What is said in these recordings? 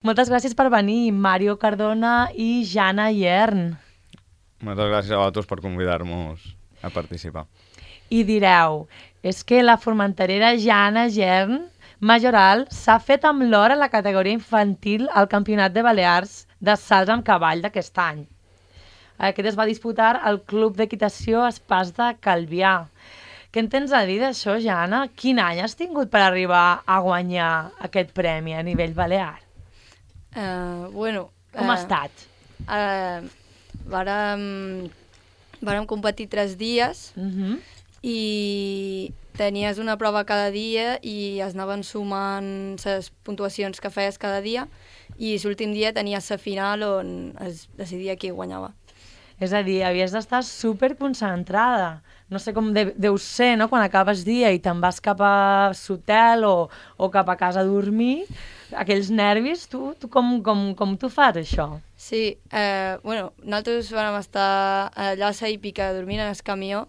Moltes gràcies per venir, Mario Cardona i Jana Iern. Moltes gràcies a vosaltres per convidar-nos a participar. I direu, és que la formenterera Jana Iern Majoral s'ha fet amb l'or a la categoria infantil al Campionat de Balears de salts amb cavall d'aquest any. Aquest es va disputar al Club d'Equitació Espàs de Calvià. Què en tens a dir d'això, Jana? Quin any has tingut per arribar a guanyar aquest premi a nivell balear? Com ha estat? Vàrem competir 3 dies i tenies una prova cada dia i es anaven sumant les puntuacions que feies cada dia i l'últim dia tenies la final on es decidia qui guanyava. És a dir, havies d'estar superconcentrada. No sé com deu ser, no?, quan acabes dia i te'n vas cap a l'hotel o cap a casa a dormir, aquells nervis, tu com tu fas, això? Sí, nosaltres vam estar allà a la hípica dormint en el camió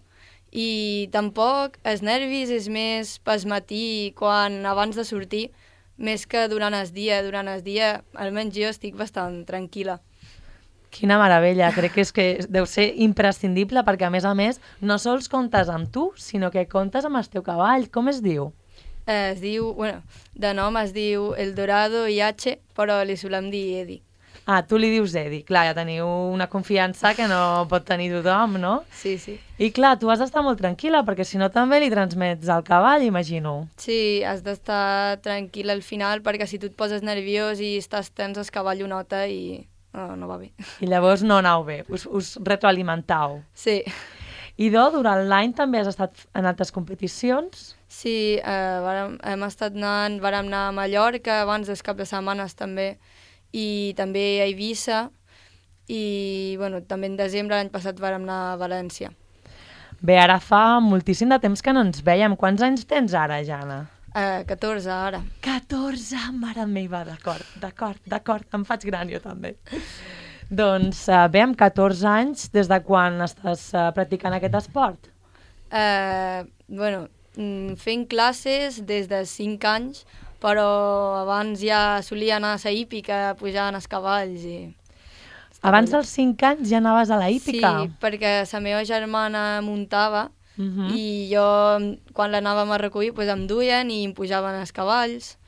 i tampoc els nervis és més pel matí, abans de sortir, més que durant el dia. Durant el dia, almenys jo estic bastant tranquil·la. Quina meravella, crec que deu ser imprescindible perquè, a més, no sols comptes amb tu, sinó que comptes amb el teu cavall. Com es diu? De nom es diu Eldorado IH, però li solem dir Edi. Ah, tu li dius Edi. Clar, ja teniu una confiança que no pot tenir tothom, no? Sí, sí. I clar, tu has d'estar molt tranquil·la, perquè si no també li transmets al cavall, imagino. Sí, has d'estar tranquil al final, perquè si tu et poses nerviós i estàs tens, el cavall ho nota i no va bé. I llavors no aneu bé, us retroalimentau. Sí. I durant l'any també has estat en altres competicions? Sí, vàrem anar a Mallorca abans dels cap de setmanes també, i també a Eivissa, i també en desembre l'any passat vàrem anar a València. Bé, ara fa moltíssim de temps que no ens vèiem. Quants anys tens ara, Jana? 14 ara. 14, mare meva, d'acord, em faig gran jo també. Doncs bé, amb 14 anys, des de quan estàs practicant aquest esport? Fent classes des de 5 anys, però abans ja solia anar a la hípica, pujant els cavalls i... Abans dels 5 anys ja anaves a la hípica? Sí, perquè la meva germana muntava i jo, quan l'anàvem a recollir, em duien i em pujaven els cavalls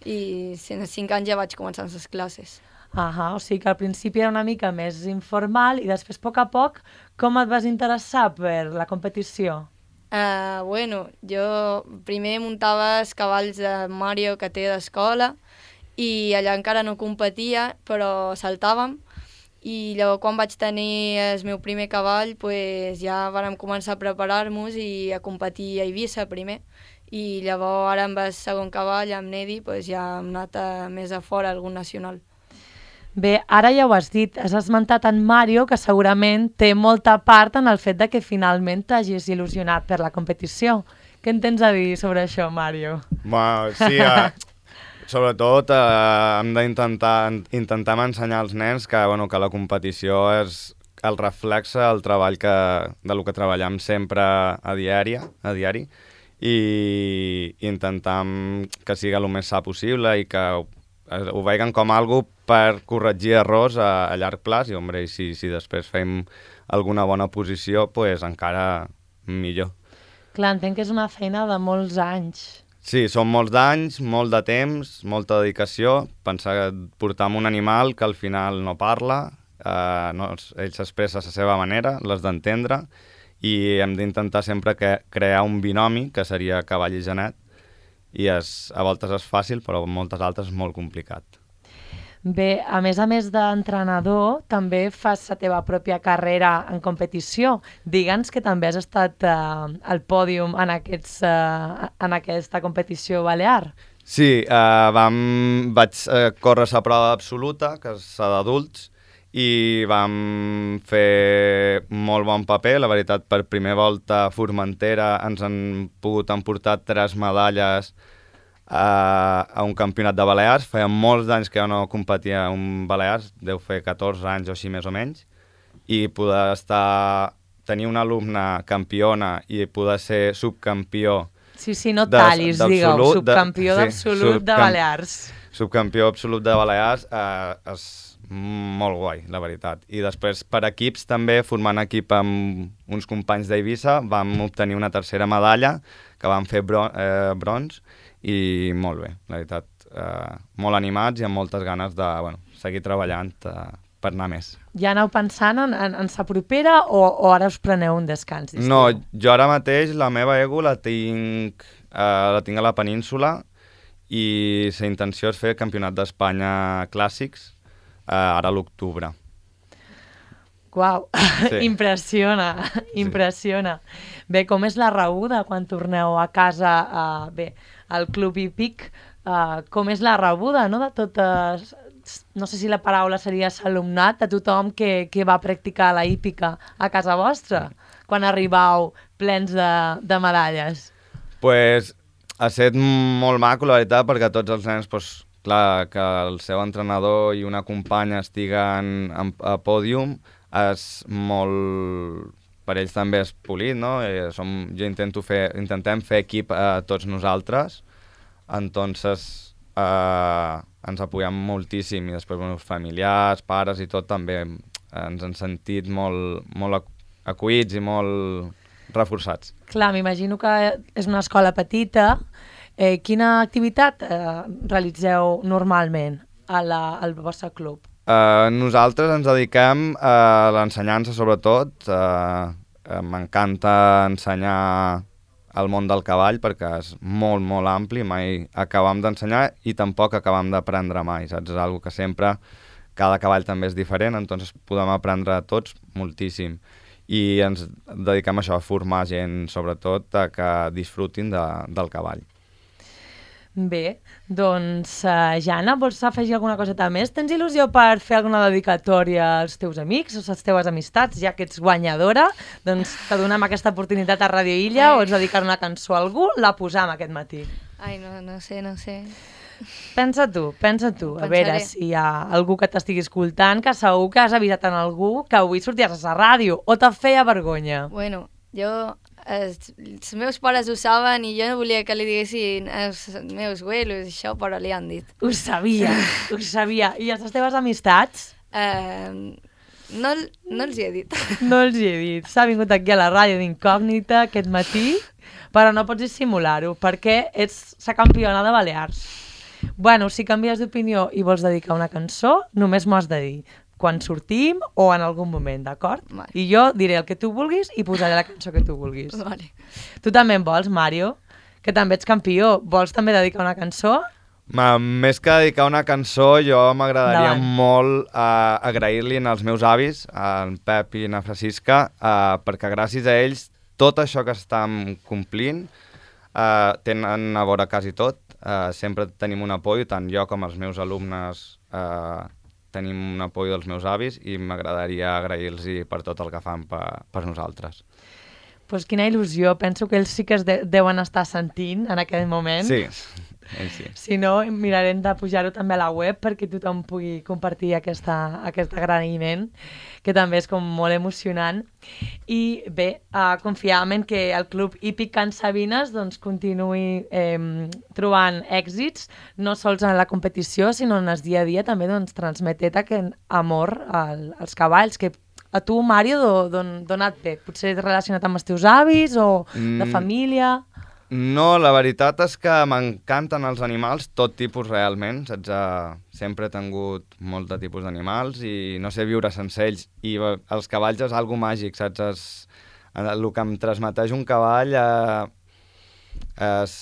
i als 5 anys ja vaig començar les classes. O sigui que al principi era una mica més informal i després, a poc, com et vas interessar per la competició? Jo primer muntava els cavalls de Mario que té d'escola i allà encara no competia, però saltàvem. I llavors quan vaig tenir el meu primer cavall ja vàrem començar a preparar-nos i a competir a Eivissa primer. I llavors ara amb el segon cavall, amb Nedi, ja hem anat més a fora, algun nacional. Bé, ara ja ho has dit, has esmentat en Mario, que segurament té molta part en el fet de que finalment t'hagis il·lusionat per la competició. Què en tens a dir sobre això, Mario? Sí, sobretot hem d'intentar ensenyar als nens que la competició és el reflexe del treball del que treballem sempre a diari i intentar que sigui el més sa possible i que ho vegin com algo per corregir errors a llarg plaç i si després fem alguna bona posició, encara millor. Clar, entenc que és una feina de molts anys. Sí, són molts d'anys, molt de temps, molta dedicació. Pensar que portar un animal que al final no parla, ell s'expressa a la seva manera, l'has d'entendre, i hem d'intentar sempre crear un binomi, que seria cavall i genet, i a voltes és fàcil, però moltes altres és molt complicat. Bé, a més d'entrenador, també fas la teva pròpia carrera en competició. Digue'ns que també has estat al pòdium en aquesta competició balear. Sí, vaig córrer la prova absoluta, que és la d'adults, i vam fer molt bon paper. La veritat, per primera volta a Formentera ens han pogut emportar 3 medalles a un campionat de Balears. Feia molts anys que jo no competia en Balears, deu fer 14 anys o així més o menys, i poder tenir una alumna campiona i poder ser subcampió Sí, no tallis, digueu, subcampió d'absolut de Balears. Subcampió absolut de Balears, és molt guai, la veritat. I després, per equips, també, formant equip amb uns companys d'Eivissa, vam obtenir una tercera medalla, que vam fer bronze, i molt bé, la veritat. Molt animats i amb moltes ganes de seguir treballant per anar més. Ja aneu pensant en sa propera o ara us preneu un descans? No, jo ara mateix la meva ego la tinc a la península i la intenció és fer el Campionat d'Espanya Clàssics ara a l'octubre. Uau, sí. impressiona. Bé, com és la rebuda quan torneu a casa al Club Hípic? Com és la rebuda, no?, de totes, no sé si la paraula seria alumnat, de tothom que va practicar la hípica a casa vostra, quan arribau plens de medalles? Pues ha estat molt maco, la veritat, perquè tots els nens, clar, que el seu entrenador i una companya estiguen a pòdium és molt... Per ells també és polit, no? Intentem fer equip a tots nosaltres, entonces ens apoyem moltíssim i després els familiars, pares i tot també ens han sentit molt acollits i molt reforçats. Clar, m'imagino que és una escola petita. Quina activitat realitzeu normalment al vostre club? Nosaltres ens dediquem a l'ensenyança, sobretot. M'encanta ensenyar el món del cavall perquè és molt, molt ampli, mai acabam d'ensenyar i tampoc acabam d'aprendre mai, saps? És una cosa que sempre, cada cavall també és diferent, entonces podem aprendre tots moltíssim. I ens dediquem a això, a formar gent, sobretot, que disfrutin del cavall. Bé, doncs, Jana, vols afegir alguna coseta més? Tens il·lusió per fer alguna dedicatòria als teus amics o a les teves amistats, ja que ets guanyadora? Doncs te donem aquesta oportunitat a Radio Illa o ets dedicar una cançó a algú? La posam aquest matí. Ai, no sé. Pensa tu. A veure si hi ha algú que t'estigui escoltant, que segur que has avisat en algú que avui sorties a la ràdio o te feia vergonya. Bueno, els meus pares ho saben i jo no volia que li diguessin els meus abuelos això, però li han dit. Ho sabia. I les teves amistats? No els hi he dit. No els hi he dit. S'ha vingut aquí a la ràdio d'incògnita aquest matí, però no pots dissimular-ho, perquè ets la campiona de Balears. Bueno, si canvies d'opinió i vols dedicar una cançó, només m'ho has de dir. Quan sortim o en algun moment, d'acord? Vale. I jo diré el que tu vulguis i posaré la cançó que tu vulguis. Vale. Tu també en vols, Mario? Que també ets campió. Vols també dedicar una cançó? Més que dedicar una cançó, jo m'agradaria molt agrair-li als meus avis, en Pep i na Francisca, perquè gràcies a ells tot això que estem complint tenen a veure quasi tot. Sempre tenim un apoyo, tant jo com els meus alumnes tenim un apoyo dels meus avis i m'agradaria agrair-los per tot el que fan per nosaltres. Pues quina il·lusió, penso que ells sí que es deuen estar sentint en aquell moment. Sí, sí. Si no, mirarem de pujar-ho també a la web perquè tothom pugui compartir aquest agraïment, que també és com molt emocionant. I bé, confiam en que el Club Hípic Can Sabines doncs, continuï trobant èxits, no sols en la competició, sinó en el dia a dia també doncs, transmetent aquest amor als cavalls, que a tu, Mario, d'on et ve? Potser relacionat amb els teus avis o de família? No, la veritat és que m'encanten els animals, tot tipus realment. Sempre he tingut molt de tipus d'animals i no sé viure sense ells. I els cavalls és algo màgic, saps? El que em transmeteix un cavall és,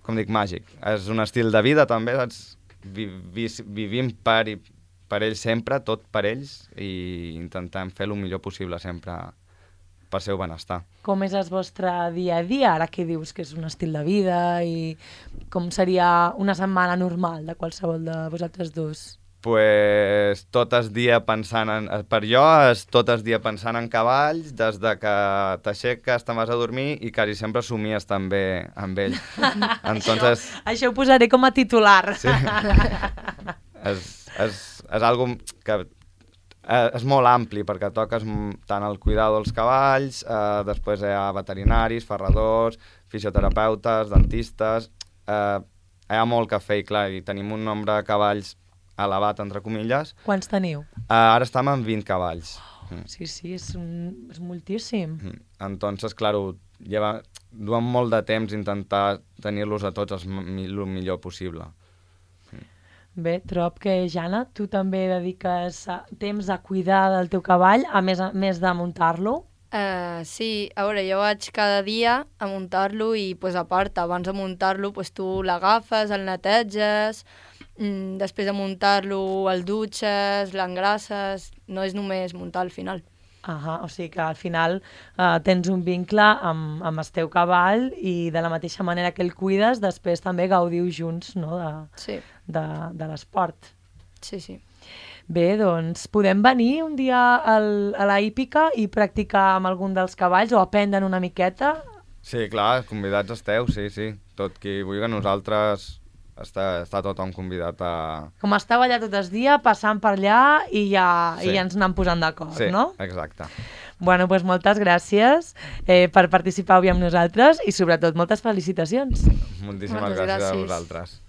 com dic, màgic. És un estil de vida també, saps? Vivim per ells sempre, tot per ells, i intentem fer el millor possible sempre per seu benestar. Com és el vostre dia a dia, ara que dius que és un estil de vida, i com seria una setmana normal de qualsevol de vosaltres dos? Pues tot el dia pensant per jo és tot el dia pensant en cavalls, des de que t'aixeques, te'n vas a dormir i quasi sempre somies també amb ells. Entonces... Això ho posaré com a titular. Sí. És algo que és molt ampli perquè toques tant el cuidado dels cavalls, després hi ha veterinaris, ferradors, fisioterapeutes, dentistes... Hi ha molt que fer i clar, i tenim un nombre de cavalls elevat, entre comilles. Quants teniu? Ara estem amb 20 cavalls. Sí, és moltíssim. Entonces, claro, duen molt de temps intentar tenir-los a tots el millor possible. Bé, trob que, Jana, tu també dediques temps a cuidar del teu cavall, a més de muntar-lo? Sí, a veure, jo vaig cada dia a muntar-lo i, a part, abans de muntar-lo, tu l'agafes, el neteges, després de muntar-lo el dutxes, l'engrasses, no és només muntar al final. O sigui que al final tens un vincle amb el teu cavall i de la mateixa manera que el cuides, després també gaudiu junts, no, de l'esport. Sí. Bé, doncs podem venir un dia a la hípica i practicar amb algun dels cavalls o aprendre una miqueta? Sí, clar, convidats esteu, sí. Tot qui vulgui, nosaltres està tothom convidat a... Com esteu allà tot el dia, passant per allà i ja ens anem posant d'acord, no? Sí, exacte. Bueno, doncs moltes gràcies per participar avui amb nosaltres i sobretot moltes felicitacions. Moltíssimes gràcies a vosaltres.